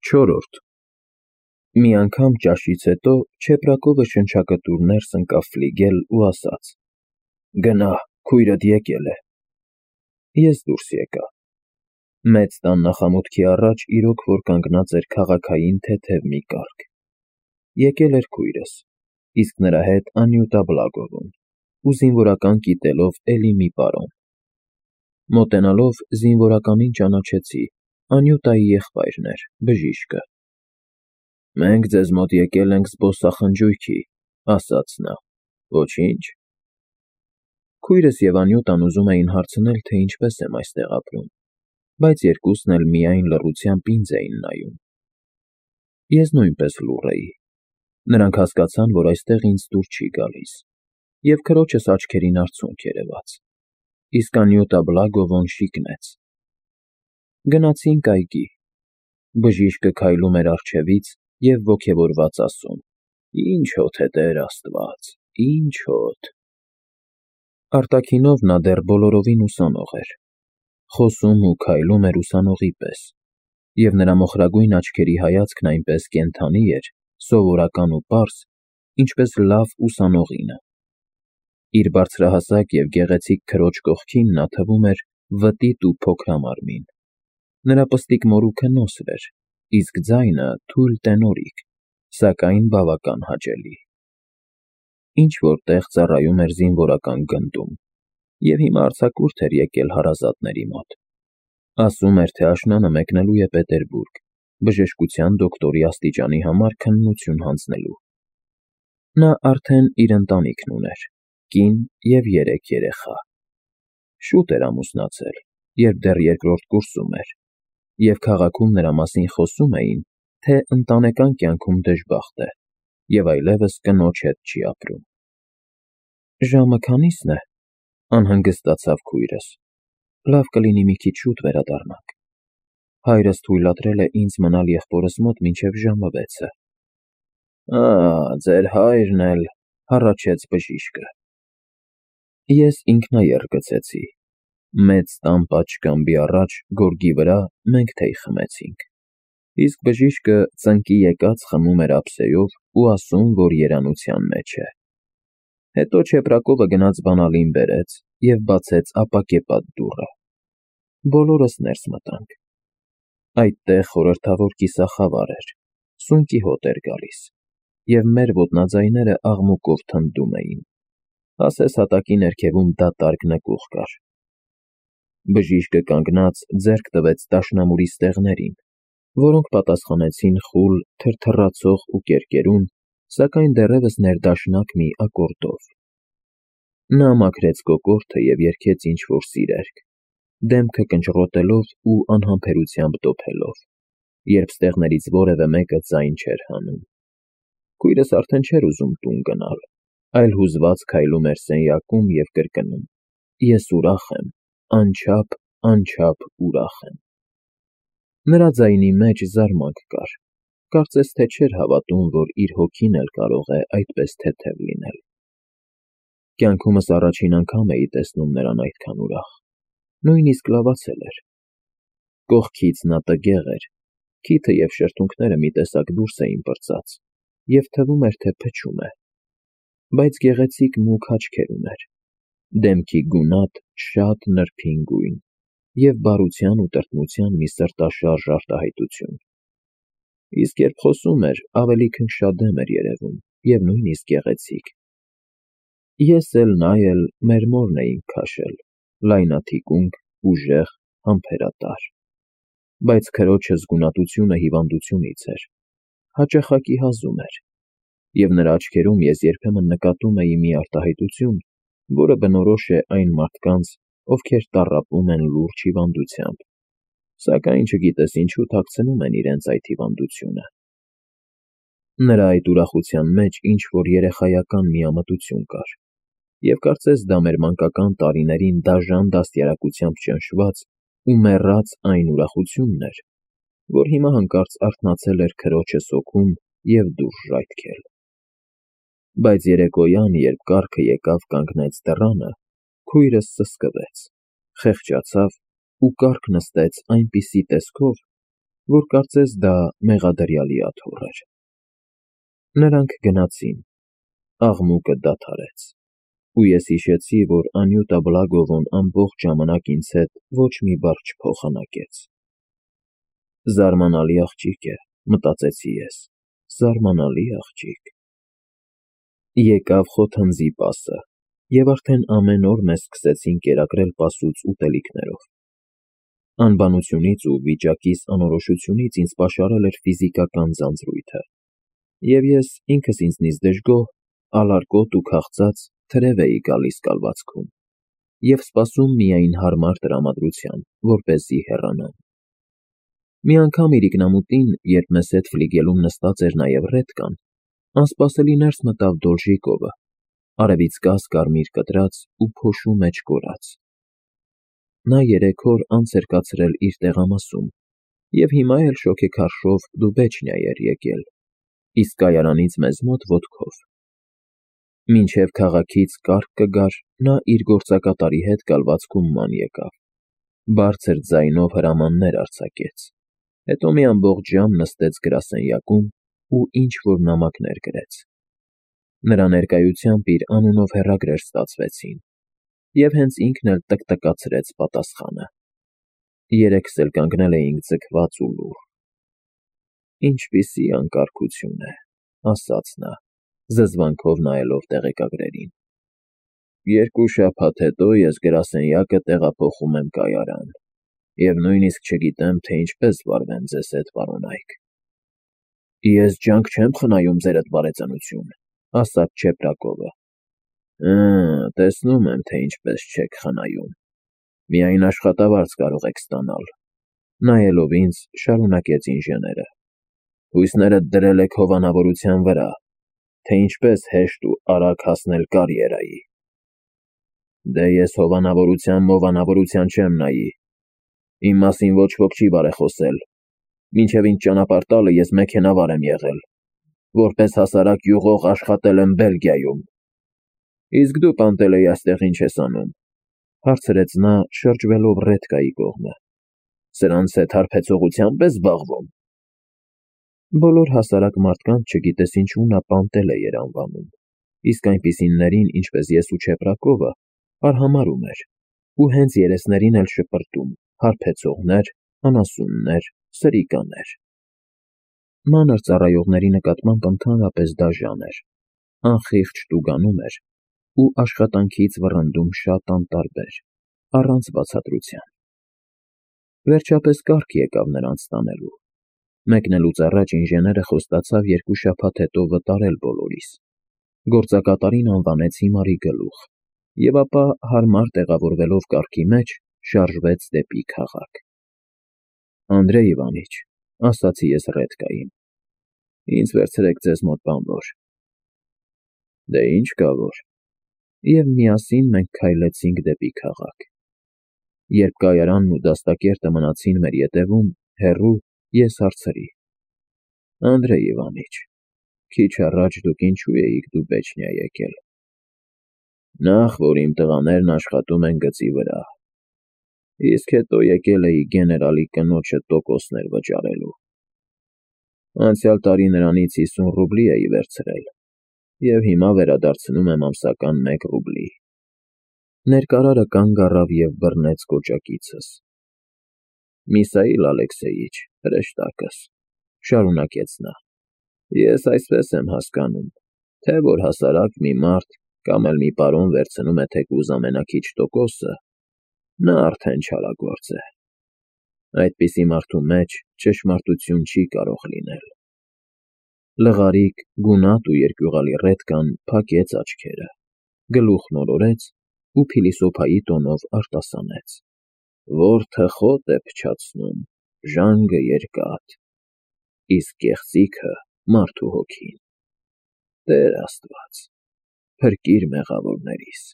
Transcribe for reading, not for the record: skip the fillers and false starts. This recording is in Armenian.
4. Մի անգամ ճաշից հետո Չեպրակովը շնչակտուր ներս ընկավ ֆլիգել ու ասաց. «Գնա, քույրդ եկել է»։ Ես դուրս եկա։ Մեծ տան նախամուտքի առաջ իրոք որ կանգնած էր քաղաքային թեթև մի կառք։ Եկել էր քույրս, իսկ նրա հետ Անյուտա Բլագովն ու զինվորական կիտելով էլի մի պարոն։ Մոտենալով զինվորականին ճանաչեցի, Անյուտայի եղբայրն էր, բժիշկը։ «Մենք ձեզ մոտ եկել ենք զբոսախնջույքի», ասաց նա։ «Ոչինչ»։ Քույրս և Անյուտան ուզում էին հարցնել, թե ինչպես եմ այստեղ ապրում, բայց երկուսն էլ միայն լռությամբ ինձ էին նայում։ Ես նույնպես լուռ էի։ Նրանք հասկացան, որ այստեղ ինձ դուր չի գալիս, և քրոջս աչքերին արցունք երևաց, իսկ Անյուտա Բլագովն շիկնեց։ Գնացինք այգի։ Բժիշկը քայլում էր առջևից և ոգևորված ասում. «Ինչ հոտ է, Տեր Աստված, ինչ հոտ»։ Արտաքինով նա դեռ բոլորովին ուսանող էր։ Խոսում ու քայլում էր ուսանողի պես, և նրա մոխրագույն աչքերի հայացքն այնպես կենդանի էր, սովորական ու պարզ, ինչպես լավ ուսանողինը։ Իր բարձրահասակ և գեղեցիկ քրոջ կողքին նա թվում էր վտիտ ու փոքրամարմին։ Նրա պստիկ մորուքը նոսր էր, իսկ ձայնը թույլ տենորիկ, սակայն բավական հաճելի։ Ինչ֊որ տեղ ծառայում էր զինվորական գնդում, և հիմա արձակուրդ էր եկել հարազատների մոտ։ Ասում էր, թե աշնանը մեկնելու է Պետերբուրգ, բժշկության դոկտորի աստիճանի համար քննություն հանձնելու։ Նա արդեն իր ընտանիքն ուներ, կին և 3 երեխա։ Շուտ էր ամուսնացել, երբ դեռ 2-րդ կուրսում էր, և քաղաքում նրա մասին խոսում էին, թե ընտանեկան կյանքում դժբախտ է և այլևս կնոջ հետ չի ապրում։ «Ժամը քանի՞սն է», անհանգստացավ քույրս։ «Լավ կլինի մի քիչ շուտ վերադառնանք։ Հայրս թույլատրել է ինձ մնալ եղբորս մոտ մինչև ժամը 6-ը»։ Ձեր հայրն էլ, հառաչեց բժիշկը։ Ես ինքնայեռ գցեցի։ Մեծ տան պատշգամբի առաջ, գորգի վրա, մենք թեյ խմեցինք, իսկ բժիշկը ծնկի եկած խմում էր ափսեով ու ասում, որ երանության մեջ է։ Հետո Չեպրակովը գնաց բանալին բերեց և բացեց ապակեպատ դուռը։ Բոլորս ներս մտանք։ Այդտեղ խորհրդավոր կիսախավար էր, սունկի հոտ էր գալիս, և մեր ոտնաձայները աղմուկով թնդում էին, ասես հատակի ներքևում դատարկ նկուղ կար։ Բժիշկը կանգնած ձեռք տվեց դաշնամուրի ստեղներին, որոնք պատասխանեցին խուլ, թրթռացող ու կերկերուն, սակայն դեռևս ներդաշնակ մի ակորդով։ Նա մաքրեց կոկորդը և երգեց ինչ-որ սիրերգ, դեմքը կնճռոտելով ու անհամբերությամբ դոփելով, երբ ստեղներից որևէ մեկը ձայն չէր հանում։ Քույրս արդեն չէր ուզում տուն գնալ, այլ հուզված քայլում էր սենյակում և կրկնում. «Ես ուրախ եմ, անչափ, անչափ ուրախ եմ»։ Նրա ձայնի մեջ զարմանք կար, կարծես թե չէր հավատում, որ իր հոգին էլ կարող է այդպես թեթև լինել։ Կյանքումս առաջին անգամ էի տեսնում նրան այդքան ուրախ, նույնիսկ լավացել էր։ Կողքից նա տգեղ էր, քիթը և շրթունքները մի տեսակ դուրս էին պրծած, և թվում էր, թե փչում է։ Բայց գեղեցիկ մուգ աչքեր ուներ, դեմքի գունատ, շատ նրբին գույն և բարության ու տրտմության մի սրտաշարժ արտահայտություն։ Իսկ երբ խոսում էր, ավելի քնքշադեմ էր երևում և նույնիսկ գեղեցիկ։ Ես էլ նա էլ մեր մորն էինք քաշել, լայնաթիկունք, ուժեղ, համբերատար։ Բայց քրոջս գունատությունը հիվանդությունից էր, հաճախակի հազում էր, և նրա աչքերում ես երբեմն նկատում էի մի արտահայտություն, որը բնորոշ է այն մարդկանց, ովքեր տառապում են լուրջ հիվանդությամբ, սակայն չգիտես ինչու թաքցնում են իրենց այդ հիվանդությունը։ Նրա այդ ուրախության մեջ ինչ-որ երեխայական միամտություն կար, և կարծես դա մեր մանկական տարիներին դաժան դաստիարակությամբ ճնշված ու մեռած այն ուրախությունն էր, որ հիմա հանկարծ արթնացել էր քրոջս հոգում և դուրս ժայթքել։ Բայց երեկոյան, երբ կառքը եկավ կանգնեց դռանը, քույրս սսկվեց, խեղճացավ ու կառք նստեց այնպիսի տեսքով, որ կարծես դա մեղադրյալի աթոռ էր։ Նրանք գնացին, աղմուկը դադարեց, ու ես հիշեցի, որ Անյուտա Բլագովն ամբողջ ժամանակ ինձ հետ ոչ մի բառ չփոխանակեց։ Զարմանալի աղջիկ է, մտածեցի ես, զարմանալի աղջիկ։ Եկավ խոթանձի պասը, և արդեն ամեն օր մեզ սկսեցին կերակրել պասուց ուտելիքներով։ Անբանությունից ու վիճակիս անորոշությունից ինձ պաշարել էր ֆիզիկական ձանձրույթը, և ես ինքս ինձնից դժգոհ, ալարկոտ ու քաղցած թրև էի գալիս կալվածքում և սպասում միայն հարմար տրամադրության, որպեսզի հեռանամ։ Մի անգամ իրիկնամուտին, երբ մեզ հետ ֆլիգելում նստած էր նաև Ռետկան, անսպասելի ներս մտավ Դոլժիկովը, արևիցկաց կարմիր կտրած ու փոշու մեջ կորած։ Նա 3 օր անց էր կացրել իր տեղամասում և հիմա էլ շոգեքարշով Դուբեչնիա էր եկել, իսկ կայարանից մեզ մոտ ոտքով։ Մինչև քաղաքից կառք կգար, նա իր գործակատարի հետ կալվածքում ման եկավ, բարձր ձայնով հրամաններ արձակեց, հետո մի ամբողջ ժամ նստեց գրասենյակում ու ինչ-որ նամակներ գրեց։ Նրա ներկայությամբ իր անունով հեռագրեր ստացվեցին, և հենց ինքն էլ տկտկացրեց պատասխանը։ Երեքս էլ կանգնել էինք ձգված ու լուռ։ Ինչպիսի անկարգություն է, ասաց նա, զզվանքով նայելով տեղեկագրերին։ 2 շաբաթ հետո ես գրասենյակը տեղափոխում եմ կայարան, և նույնիսկ չգիտեմ, թե ինչպես վարվեմ ձեզ հետ, պարոն Այք։ Ես ջանք չեմ խնայում ձերդ բարեկամություն, ասաց Չեպրակովը։ Տեսնում եմ, թե ինչպես չեք խնայում։ Միայն աշխատավարձ կարող եք ստանալ, նայելով ինձ, շարունակեց ինժեները։ Հույսներդ դրել եք հովանավորության վրա, թե ինչպես հեշտ ու արագ հասնել կարիերայի։ Դե ես հովանավորության չեմ նայի։ Իմ մասին ոչ ոք չի բարեխոսել։ Մինչև ինձ ճանապարհ տալը ես մեքենավար եմ եղել, որպես հասարակ յուղող աշխատել եմ Բելգիայում։ Իսկ դու, Պանտելեյ, այստեղ ինչ ես անում, հարցրեց նա, շրջվելով Ռետկայի կողմը։ Սրանց հետ հարբեցողությամբ ես զբաղվում։ Բոլոր հասարակ մարդկանց, չգիտես ինչու, նա Պանտելեյ էր անվանում, իսկ այնպիսիներին, ինչպես ես ու Չեպրակովը, արհամարհում էր, ու հենց երեսներին էլ շպրտում, հարբեցողներ, անասուններ, սրիկաներ։ Մանր ծառայողների նկատմամբ ընդհանրապես դաժան էր, անխիղճ տուգանում էր ու աշխատանքից վռնդում շատ անտարբեր, առանց բացատրության։ Վերջապես կառք եկավ նրանց տանելու։ Մեկնելուց առաջ ինժեները խոստացավ 2 շաբաթ հետո վտարել բոլորիս։ Գործակատարին անվանեց հիմարի գլուխ, և ապա, հարմար տեղավորվելով կառքի մեջ, շարժվեց դեպի քաղաք։ Անդրեյ Իվանիչ, ասացի ես Ռետկային, ինձ վերցրեք ձեզ մոտ բանվոր։ Դե ինչ կա որ։ Եվ միասին մենք քայլեցինք դեպի քաղաք։ Երբ կայարանն ու դաստակերտը մնացին մեր ետևում, հեռու, ես հարցրի. Անդրեյ Իվանիչ, քիչ առաջ դուք ինչու էիք Դուբեչնիա եկել։ Նախ, որ իմ տղաներն աշխատում են գծի վրա, իսկ հետո եկել էի գեներալի կնոջը տոկոսներ վճարելու։ Անցյալ տարի նրանից 50 ռուբլի էի վերցրել, և հիմա վերադարձնում եմ ամսական 1 ռուբլի։ Ներկարարը կանգ առավ և բռնեց կոճակիցս։ Միսայիլ Ալեքսեյիչ, հրեշտակս, շարունակեց նա, ես այսպես եմ հասկանում, թե որ հասարակ մի մարդ կամ էլ մի պարոն վերցնում է թեկուզ ամենաքիչ տոկոսը, նա արդեն չարագործ է։ Այդպիսի մարդու մեջ ճշմարտություն չի կարող լինել։ Լղարիկ, գունատ ու երկյուղալի Ռետկան փակեց աչքերը, գլուխն օրորեց ու փիլիսոփայի տոնով արտասանեց. Որդը խոտ է փչացնում, ժանգը երկաթ, իսկ գեղձիքը մարդու հոգին։ Տեր Աստված, փրկիր մեղավորներիս։